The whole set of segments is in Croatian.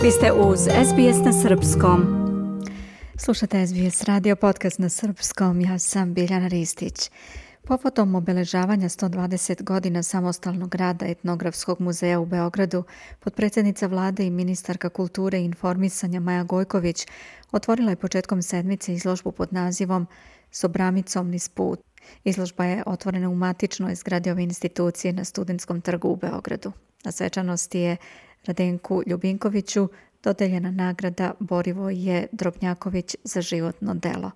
Vi ste uz SBS na srpskom. Slušate SBS radio podcast na srpskom. Ja sam Biljana Ristić. Povodom obeležavanja 120 godina samostalnog rada Etnografskog muzeja u Beogradu, potpredsjednica vlade i ministarka kulture i informisanja Maja Gojković otvorila je početkom sedmice izložbu pod nazivom Sobramicom niz put. Izložba je otvorena u matičnoj zgradi ove institucije na Studentskom trgu u Beogradu. Na svečanosti je Radenku Ljubinkoviću dodeljena nagrada Borivoje Drobnjaković za životno delo.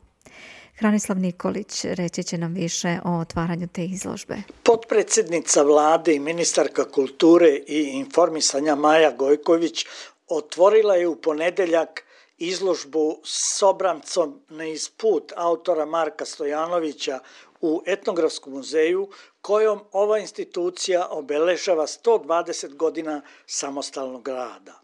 Hranislav Nikolić reći će nam više o otvaranju te izložbe. Potpredsjednica vlade i ministarka kulture i informisanja Maja Gojković otvorila je u ponedeljak izložbu Sobramcom niz put autora Marka Stojanovića u Etnografskom muzeju, kojom ova institucija obeležava 120 godina samostalnog rada.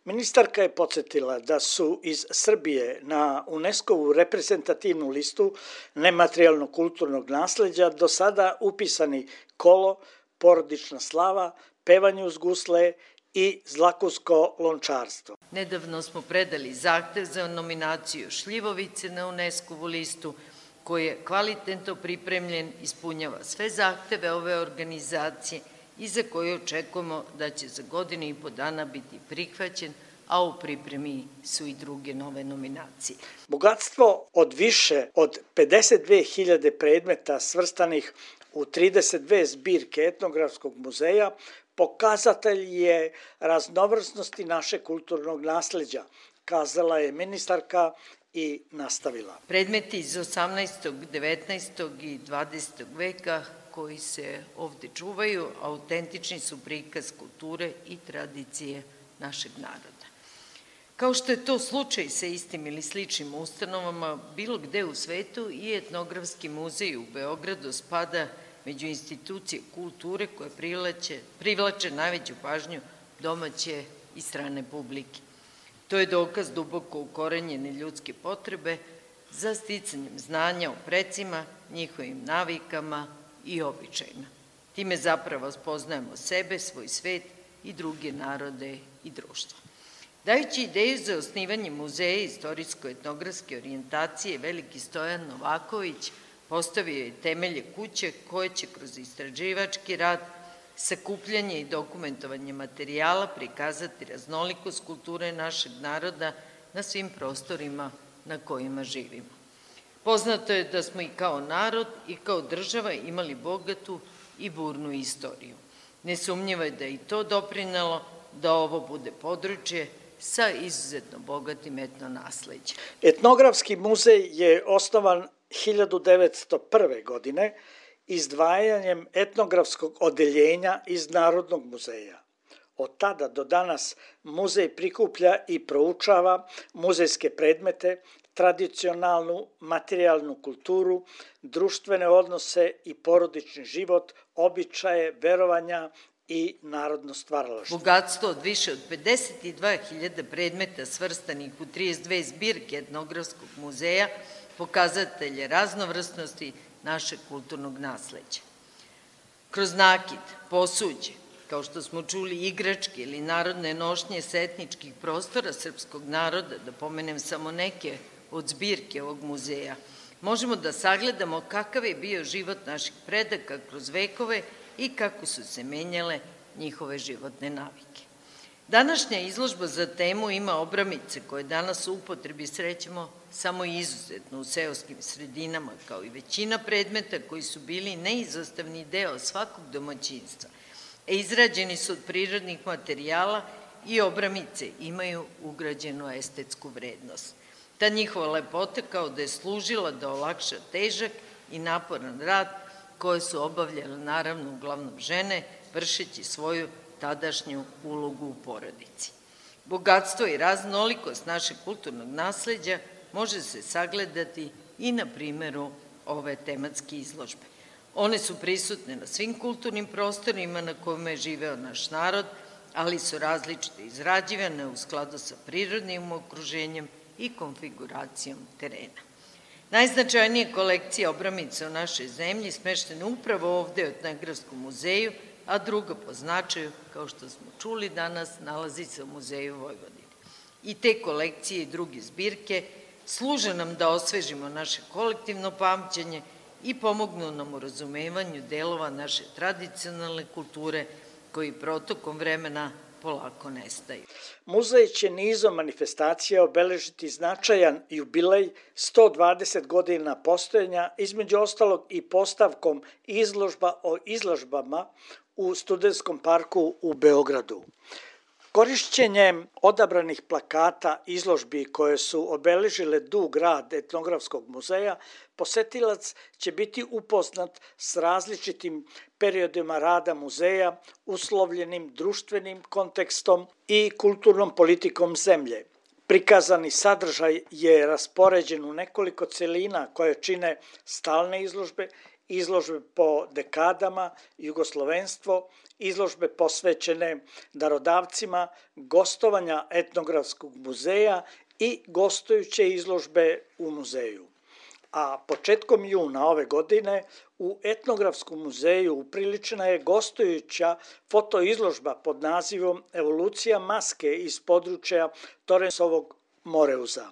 Ministarka je podsjetila da su iz Srbije na UNESCO-vu reprezentativnu listu nematerijalnog kulturnog nasleđa do sada upisani kolo, porodična slava, pevanje uz gusle i zlakusko lončarstvo. Nedavno smo predali zahtev za nominaciju šljivovice na UNESCO-vu listu, koji je kvalitetno pripremljen, ispunjava sve zahteve ove organizacije i za koje očekujemo da će za godinu i po dana biti prihvaćen, a u pripremi su i druge nove nominacije. Bogatstvo od više od 52.000 predmeta svrstanih u 32 zbirke Etnografskog muzeja pokazatelj je raznovrsnosti našeg kulturnog nasleđa, kazala je ministarka i nastavila. Predmeti iz 18., 19. i 20. veka koji se ovde čuvaju, autentični su prikaz kulture i tradicije našeg naroda. Kao što je to slučaj sa istim ili sličnim ustanovama, bilo gde u svetu i Etnografski muzej u Beogradu spada među institucije kulture koje privlače najveću pažnju domaće i strane publike. To je dokaz duboko ukorenjene ljudske potrebe za sticanjem znanja o precima, njihovim navikama i običajima. Time zapravo spoznajemo sebe, svoj svet i druge narode i društva. Dajući ideju za osnivanje muzeja istorijsko-etnografske orijentacije, veliki Stojan Novaković postavio je temelje kuće koje će kroz istraživački rad, sakupljanje i dokumentovanje materijala prikazati raznolikost kulture našeg naroda na svim prostorima na kojima živimo. Poznato je da smo i kao narod i kao država imali bogatu i burnu istoriju. Nesumnjivo je da je i to doprinelo da ovo bude područje sa izuzetno bogatim etnonasleđem. Etnografski muzej je osnovan 1901. godine izdvajanjem etnografskog odeljenja iz Narodnog muzeja. Od tada do danas muzej prikuplja i proučava muzejske predmete, tradicionalnu materijalnu kulturu, društvene odnose i porodični život, običaje, verovanja i narodno stvaralaštvo. Bogatstvo od više od 52.000 predmeta svrstanih u 32 zbirke Etnografskog muzeja pokazatelj je raznovrsnosti našeg kulturnog nasleđa. Kroz nakit, posuđe, kao što smo čuli, igračke ili narodne nošnje s etničkih prostora srpskog naroda, da pomenem samo neke od zbirke ovog muzeja, možemo da sagledamo kakav je bio život naših predaka kroz vekove i kako su se menjale njihove životne navike. Današnja izložba za temu ima obramice koje danas u upotrebi srećemo samo izuzetno u seoskim sredinama, kao i većina predmeta koji su bili neizostavni deo svakog domaćinstva. Izrađeni su od prirodnih materijala i obramice imaju ugrađenu estetsku vrednost. Ta njihova lepota kao da je služila da olakša težak i naporan rad koje su obavljale naravno uglavnom žene, vršeći svoju tadašnju ulogu u porodici. Bogatstvo i raznolikost našeg kulturnog nasleđa može se sagledati i na primeru ove tematske izložbe. One su prisutne na svim kulturnim prostorima na kojima je živeo naš narod, ali su različite izrađivane u skladu sa prirodnim okruženjem i konfiguracijom terena. Najznačajnije kolekcije obramica u našoj zemlji smeštene upravo ovde u Etnografskom muzeju a druga po značaju, kao što smo čuli danas, nalazi se u Muzeju Vojvodine. I te kolekcije i druge zbirke služe nam da osvežimo naše kolektivno pamćenje i pomognu nam u razumevanju delova naše tradicionalne kulture koji protokom vremena polako nestaju. Muzej će nizom manifestacija obeležiti značajan jubilej 120 godina postojanja, između ostalog i postavkom izložba o izložbama u Studentskom parku u Beogradu. Korišćenjem odabranih plakata izložbi koje su obeležile dug rad Etnografskog muzeja, posetilac će biti upoznat s različitim periodima rada muzeja, uslovljenim društvenim kontekstom i kulturnom politikom zemlje. Prikazani sadržaj je raspoređen u nekoliko celina koje čine stalne izložbe, izložbe po dekadama, jugoslovenstvo, izložbe posvećene darodavcima, gostovanja Etnografskog muzeja i gostujuće izložbe u muzeju. A početkom juna ove godine u Etnografskom muzeju upriličena je gostujuća fotoizložba pod nazivom Evolucija maske iz područja Torensovog Moreuza.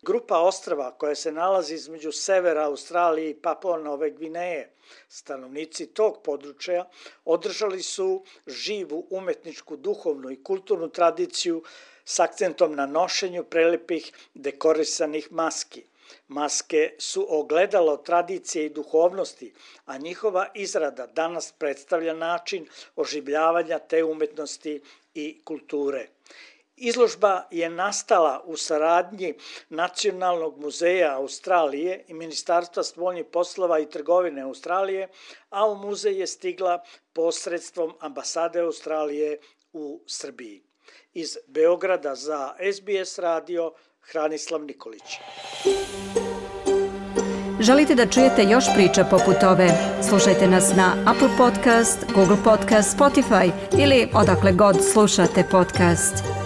Grupa ostrva koja se nalazi između severa Australije i Papua Nove Gvineje, stanovnici tog područja održali su živu umetničku, duhovnu i kulturnu tradiciju s akcentom na nošenju prelepih dekorisanih maski. Maske su ogledalo tradicije i duhovnosti, a njihova izrada danas predstavlja način oživljavanja te umetnosti i kulture. Izložba je nastala u saradnji Nacionalnog muzeja Australije i Ministarstva spoljnih poslova i trgovine Australije, a u muzej je stigla posredstvom ambasade Australije u Srbiji. Iz Beograda za SBS radio Hranislav Nikolić. Želite da čujete još priča poput ove? Slušajte nas na Apple Podcast, Google Podcast, Spotify ili odakle god slušate podcast.